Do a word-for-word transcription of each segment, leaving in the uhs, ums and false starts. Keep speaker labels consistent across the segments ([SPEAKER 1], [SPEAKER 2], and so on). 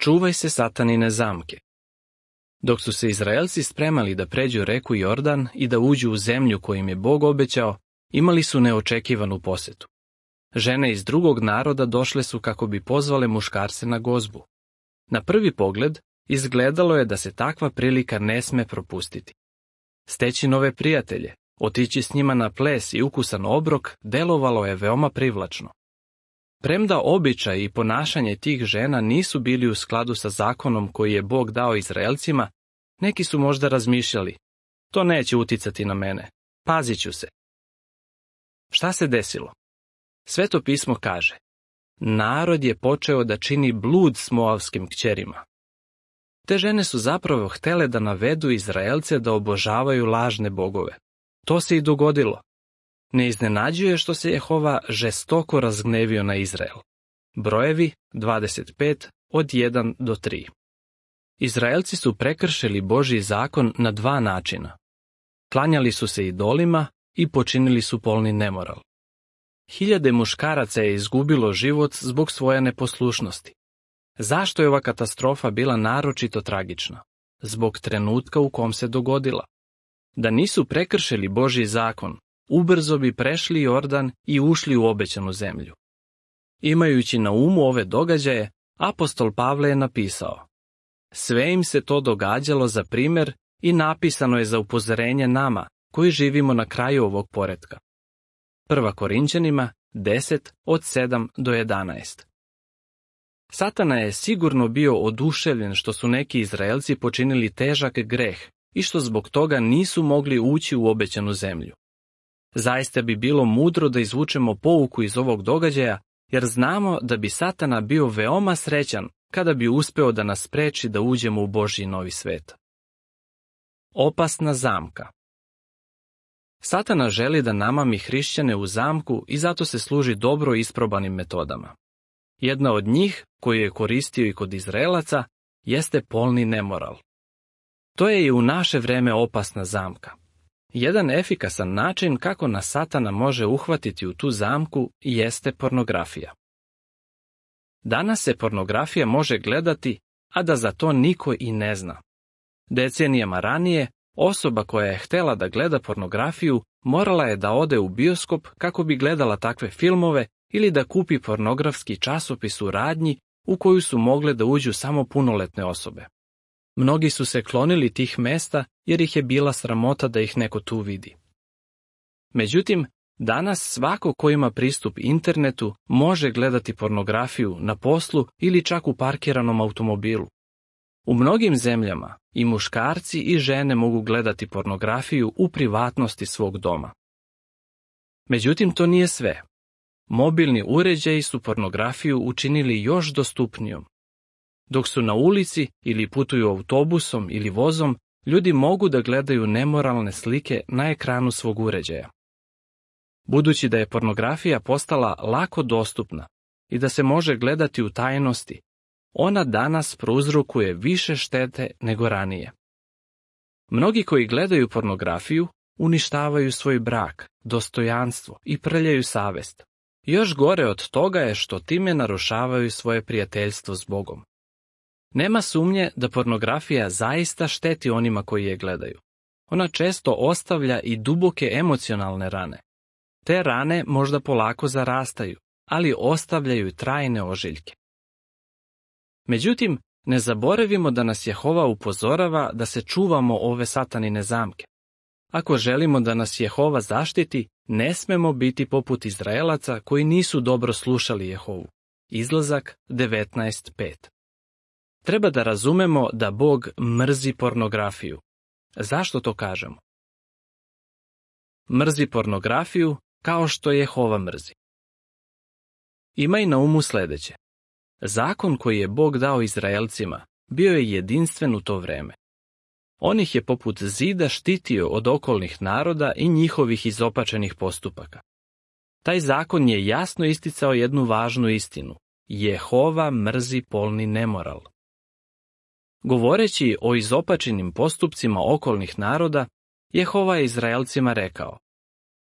[SPEAKER 1] Čuvaj se satanine zamke. Dok su se Izraelci spremali da pređu reku Jordan i da uđu u zemlju koju im je Bog obećao, imali su neočekivanu posetu. Žene iz drugog naroda došle su kako bi pozvale muškarce na gozbu. Na prvi pogled, izgledalo je da se takva prilika ne sme propustiti. Steći nove prijatelje, otići s njima na ples i ukusan obrok delovalo je veoma privlačno. Premda običaj i ponašanje tih žena nisu bili u skladu sa zakonom koji je Bog dao Izraelcima, neki su možda razmišljali, to neće uticati na mene, pazit ću se. Šta se desilo? Sveto pismo kaže, narod je počeo da čini blud s moavskim kćerima. Te žene su zapravo htele da navedu Izraelce da obožavaju lažne bogove. To se i dogodilo. Ne iznenađuje što se Jehova žestoko razgnevio na Izrael. Brojevi dvadeset pet od jedan do tri. Izraelci su prekršili Božji zakon na dva načina. Klanjali su se idolima i počinili su polni nemoral. Hiljade muškaraca je izgubilo život zbog svoje neposlušnosti. Zašto je ova katastrofa bila naročito tragična? Zbog trenutka u kom se dogodila. Da nisu prekršili Božji zakon, ubrzo bi prešli Jordan i ušli u obećanu zemlju. Imajući na umu ove događaje, apostol Pavle je napisao: sve im se to događalo za primjer i napisano je za upozorenje nama, koji živimo na kraju ovog poretka. Prva Korinćanima deset od sedam do jedanaest. Satana je sigurno bio oduševljen što su neki Izraelci počinili težak greh i što zbog toga nisu mogli ući u obećanu zemlju. Zaista bi bilo mudro da izvučemo pouku iz ovog događaja, jer znamo da bi Satana bio veoma srećan kada bi uspeo da nas spreči da uđemo u Božji novi svet. Opasna zamka. Satana želi da namami hrišćane u zamku i zato se služi dobro isprobanim metodama. Jedna od njih, koju je koristio i kod Izraelaca, jeste polni nemoral. To je i u naše vreme opasna zamka. Jedan efikasan način kako nas Satana može uhvatiti u tu zamku jeste pornografija. Danas se pornografija može gledati, a da za to niko i ne zna. Decenijama ranije, osoba koja je htela da gleda pornografiju morala je da ode u bioskop kako bi gledala takve filmove ili da kupi pornografski časopis u radnji u koju su mogle da uđu samo punoletne osobe. Mnogi su se klonili tih mesta jer ih je bila sramota da ih neko tu vidi. Međutim, danas svako ko ima pristup internetu može gledati pornografiju na poslu ili čak u parkiranom automobilu. U mnogim zemljama i muškarci i žene mogu gledati pornografiju u privatnosti svog doma. Međutim, to nije sve. Mobilni uređaji su pornografiju učinili još dostupnijom. Dok su na ulici ili putuju autobusom ili vozom, ljudi mogu da gledaju nemoralne slike na ekranu svog uređaja. Budući da je pornografija postala lako dostupna i da se može gledati u tajnosti, ona danas prouzrokuje više štete nego ranije. Mnogi koji gledaju pornografiju uništavaju svoj brak, dostojanstvo i prljaju savest. Još gore od toga je što time narušavaju svoje prijateljstvo s Bogom. Nema sumnje da pornografija zaista šteti onima koji je gledaju. Ona često ostavlja i duboke emocionalne rane. Te rane možda polako zarastaju, ali ostavljaju trajne ožiljke. Međutim, ne zaboravimo da nas Jehova upozorava da se čuvamo ove satanine zamke. Ako želimo da nas Jehova zaštiti, ne smemo biti poput Izraelaca koji nisu dobro slušali Jehovu. Izlazak devetnaest pet. Treba da razumemo da Bog mrzi pornografiju. Zašto to kažemo? Mrzi pornografiju kao što Jehova mrzi. Imaj na umu sledeće. Zakon koji je Bog dao Izraelcima bio je jedinstven u to vreme. On ih je poput zida štitio od okolnih naroda i njihovih izopačenih postupaka. Taj zakon je jasno isticao jednu važnu istinu. Jehova mrzi polni nemoral. Govoreći o izopačenim postupcima okolnih naroda, Jehova je Izraelcima rekao: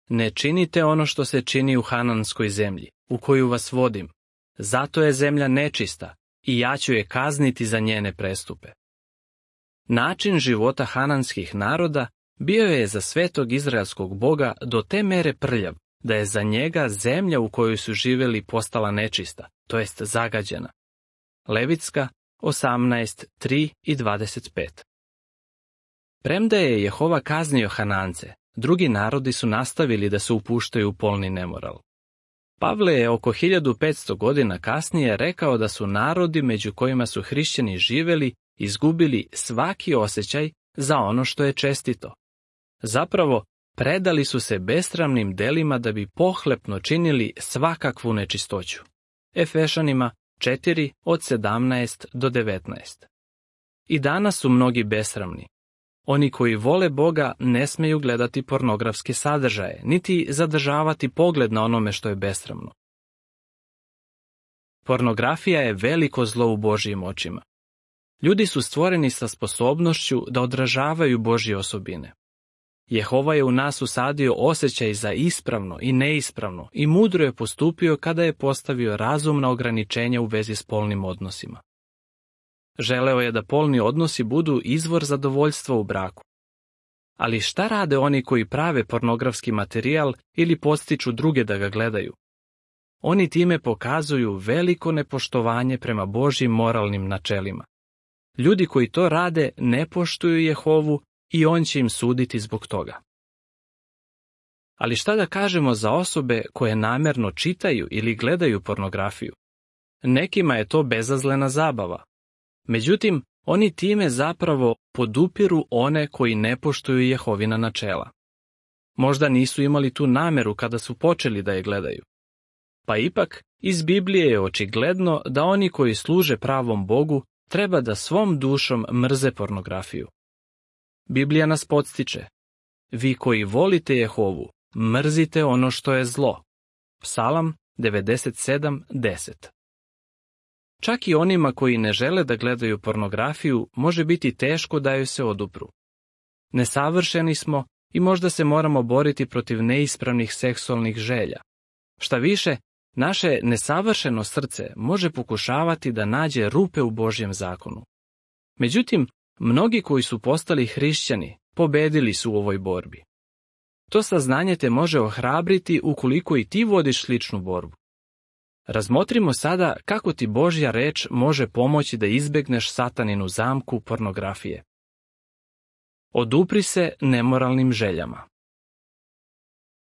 [SPEAKER 1] ne činite ono što se čini u Hananskoj zemlji, u koju vas vodim. Zato je zemlja nečista i ja ću je kazniti za njene prestupe. Način života hananskih naroda bio je za svetog izraelskog Boga do te mere prljav, da je za njega zemlja u kojoj su živjeli postala nečista, to jest zagađena. Levitska osamnaest, tri i dvadeset pet. Premda je Jehova kaznio Hanance, drugi narodi su nastavili da se upuštaju u polni nemoral. Pavle je oko hiljadu petsto godina kasnije rekao da su narodi među kojima su hrišćani živjeli izgubili svaki osjećaj za ono što je čestito. Zapravo, predali su se besramnim delima da bi pohlepno činili svakakvu nečistoću. Efešanima četiri od sedamnaest do devetnaest. I danas su mnogi besramni. Oni koji vole Boga ne smeju gledati pornografske sadržaje, niti zadržavati pogled na onome što je besramno. Pornografija je veliko zlo u Božjim očima. Ljudi su stvoreni sa sposobnošću da odražavaju Božje osobine. Jehova je u nas usadio osjećaj za ispravno i neispravno i mudro je postupio kada je postavio razumna ograničenja u vezi s polnim odnosima. Želeo je da polni odnosi budu izvor zadovoljstva u braku. Ali šta rade oni koji prave pornografski materijal ili podstiču druge da ga gledaju? Oni time pokazuju veliko nepoštovanje prema Božjim moralnim načelima. Ljudi koji to rade ne poštuju Jehovu i on će im suditi zbog toga. Ali šta da kažemo za osobe koje namjerno čitaju ili gledaju pornografiju? Nekima je to bezazlena zabava. Međutim, oni time zapravo podupiru one koji ne poštuju Jehovina načela. Možda nisu imali tu nameru kada su počeli da je gledaju. Pa ipak, iz Biblije je očigledno da oni koji služe pravom Bogu treba da svom dušom mrze pornografiju. Biblija nas podstiče: vi koji volite Jehovu, mrzite ono što je zlo. Psalam devedeset sedam deset. Čak i onima koji ne žele da gledaju pornografiju može biti teško da joj se odupru. Nesavršeni smo i možda se moramo boriti protiv neispravnih seksualnih želja. Šta više, naše nesavršeno srce može pokušavati da nađe rupe u Božjem zakonu. Međutim, mnogi koji su postali hrišćani pobedili su u ovoj borbi. To saznanje te može ohrabriti ukoliko i ti vodiš sličnu borbu. Razmotrimo sada kako ti Božja reč može pomoći da izbegneš sataninu zamku pornografije. Odupri se nemoralnim željama.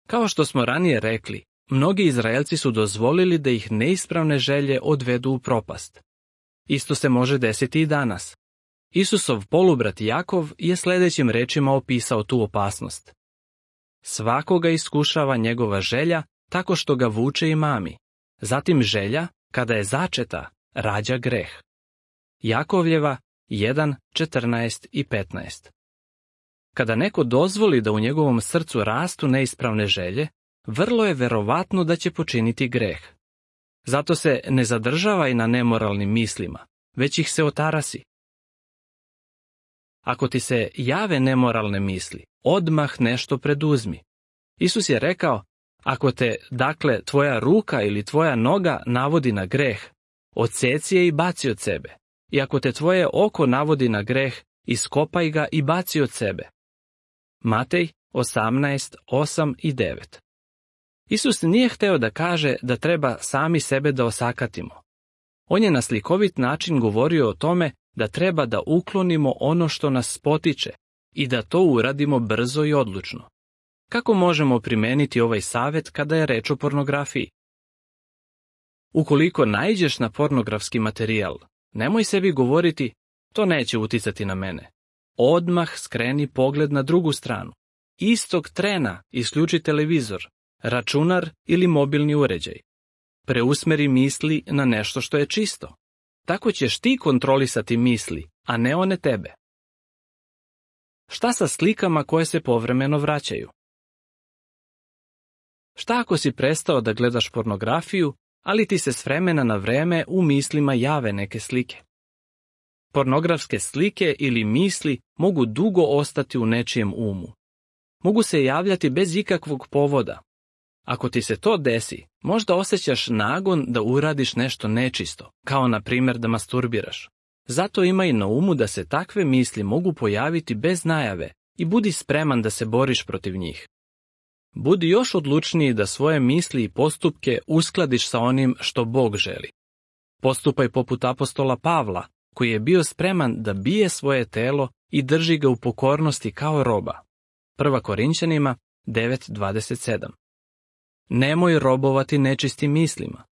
[SPEAKER 1] Kao što smo ranije rekli, mnogi Izraelci su dozvolili da ih neispravne želje odvedu u propast. Isto se može desiti i danas. Isusov polubrat Jakov je sljedećim rečima opisao tu opasnost. Svakoga iskušava njegova želja tako što ga vuče i mami. Zatim želja, kada je začeta, rađa greh. Jakovljeva jedan, četrnaest i petnaest. Kada neko dozvoli da u njegovom srcu rastu neispravne želje, vrlo je verovatno da će počiniti greh. Zato se ne zadržavaj na nemoralnim mislima, već ih se otarasi. Ako ti se jave nemoralne misli, odmah nešto preduzmi. Isus je rekao: ako te, dakle, tvoja ruka ili tvoja noga navodi na greh, odseci je i baci od sebe. I ako te tvoje oko navodi na greh, iskopaj ga i baci od sebe. Matej osamnaest, osam i devet. Isus nije hteo da kaže da treba sami sebe da osakatimo. On je na slikovit način govorio o tome da treba da uklonimo ono što nas spotiče i da to uradimo brzo i odlučno. Kako možemo primeniti ovaj savjet kada je reč o pornografiji? Ukoliko naiđeš na pornografski materijal, nemoj sebi govoriti: to neće uticati na mene. Odmah skreni pogled na drugu stranu. Istog trena isključi televizor, računar ili mobilni uređaj. Preusmeri misli na nešto što je čisto. Tako ćeš ti kontrolisati misli, a ne one tebe. Šta sa slikama koje se povremeno vraćaju? Šta ako si prestao da gledaš pornografiju, ali ti se s vremena na vreme u mislima jave neke slike? Pornografske slike ili misli mogu dugo ostati u nečijem umu. Mogu se javljati bez ikakvog povoda. Ako ti se to desi, možda osjećaš nagon da uradiš nešto nečisto, kao na primjer da masturbiraš. Zato imaj na umu da se takve misli mogu pojaviti bez najave i budi spreman da se boriš protiv njih. Budi još odlučniji da svoje misli i postupke uskladiš sa onim što Bog želi. Postupaj poput apostola Pavla, koji je bio spreman da bije svoje telo i drži ga u pokornosti kao roba. Prva Korinćanima devet dvadeset sedam. Nemoj robovati nečistim mislima.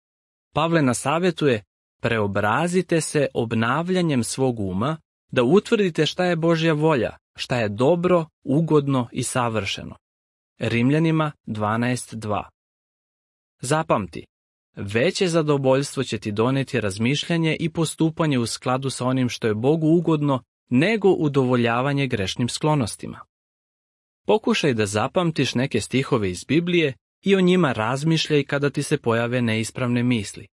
[SPEAKER 1] Pavle nas savjetuje: preobrazite se obnavljanjem svog uma, da utvrdite šta je Božja volja, šta je dobro, ugodno i savršeno. Rimljanima dvanaest dva. Zapamti, veće zadovoljstvo će ti doneti razmišljanje i postupanje u skladu sa onim što je Bogu ugodno, nego udovoljavanje grešnim sklonostima. Pokušaj da zapamtiš neke stihove iz Biblije i o njima razmišljaj kada ti se pojave neispravne misli.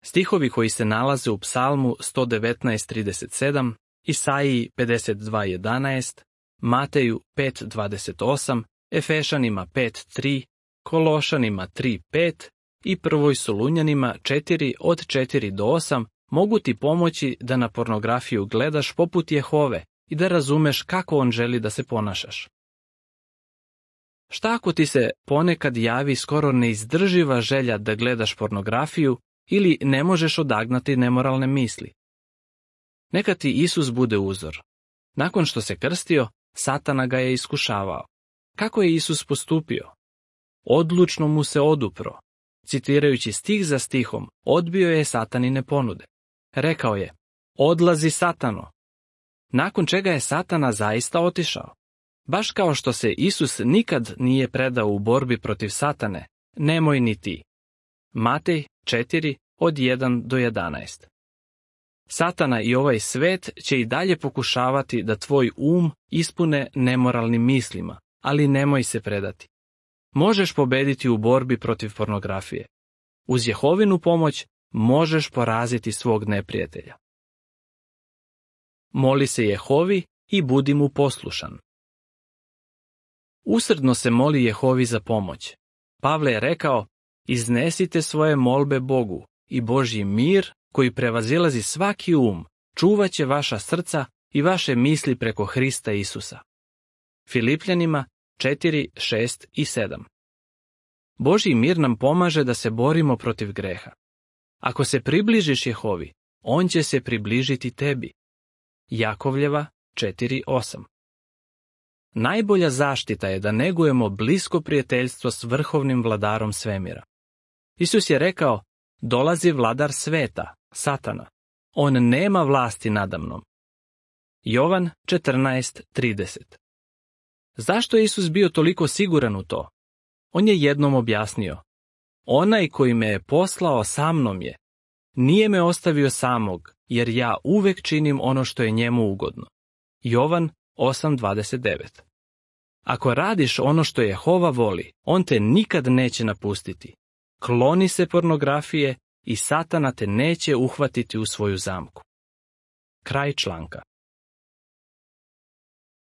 [SPEAKER 1] Stihovi koji se nalaze u Psalmu sto devetnaest trideset sedam, Isaiji pedeset dva jedanaest, Mateju pet dvadeset osam, Efešanima pet tri, Kološanima tri pet i Prvoj Solunjanima četiri od četiri do osam mogu ti pomoći da na pornografiju gledaš poput Jehove i da razumeš kako on želi da se ponašaš. Šta ako ti se ponekad javi skoro neizdrživa želja da gledaš pornografiju ili ne možeš odagnati nemoralne misli? Neka ti Isus bude uzor. Nakon što se krstio, Satana ga je iskušavao. Kako je Isus postupio? Odlučno mu se odupro. Citirajući stih za stihom, odbio je Satanine ponude. Rekao je: odlazi, Satano. Nakon čega je Satana zaista otišao. Baš kao što se Isus nikad nije predao u borbi protiv Satane, nemoj ni ti. Matej četiri od jedan do jedanaest. Satana i ovaj svet će i dalje pokušavati da tvoj um ispune nemoralnim mislima, ali nemoj se predati. Možeš pobediti u borbi protiv pornografije. Uz Jehovinu pomoć možeš poraziti svog neprijatelja. Moli se Jehovi i budi mu poslušan. Usrdno se moli Jehovi za pomoć. Pavle je rekao: iznesite svoje molbe Bogu i Božji mir, koji prevazilazi svaki um, čuvat će vaša srca i vaše misli preko Hrista Isusa. Filipljanima četiri, šest i sedam. Božji mir nam pomaže da se borimo protiv greha. Ako se približiš Jehovi, on će se približiti tebi. Jakovljeva četiri osam. Najbolja zaštita je da negujemo blisko prijateljstvo s vrhovnim vladarom svemira. Isus je rekao: dolazi vladar sveta, Satana. On nema vlasti nadamnom. Jovan četrnaest trideset. Zašto je Isus bio toliko siguran u to? On je jednom objasnio: onaj koji me je poslao sa mnom je. Nije me ostavio samog, jer ja uvek činim ono što je njemu ugodno. Jovan osam dvadeset devet. Ako radiš ono što Jehova voli, on te nikad neće napustiti. Kloni se pornografije i Satana te neće uhvatiti u svoju zamku. Kraj članka.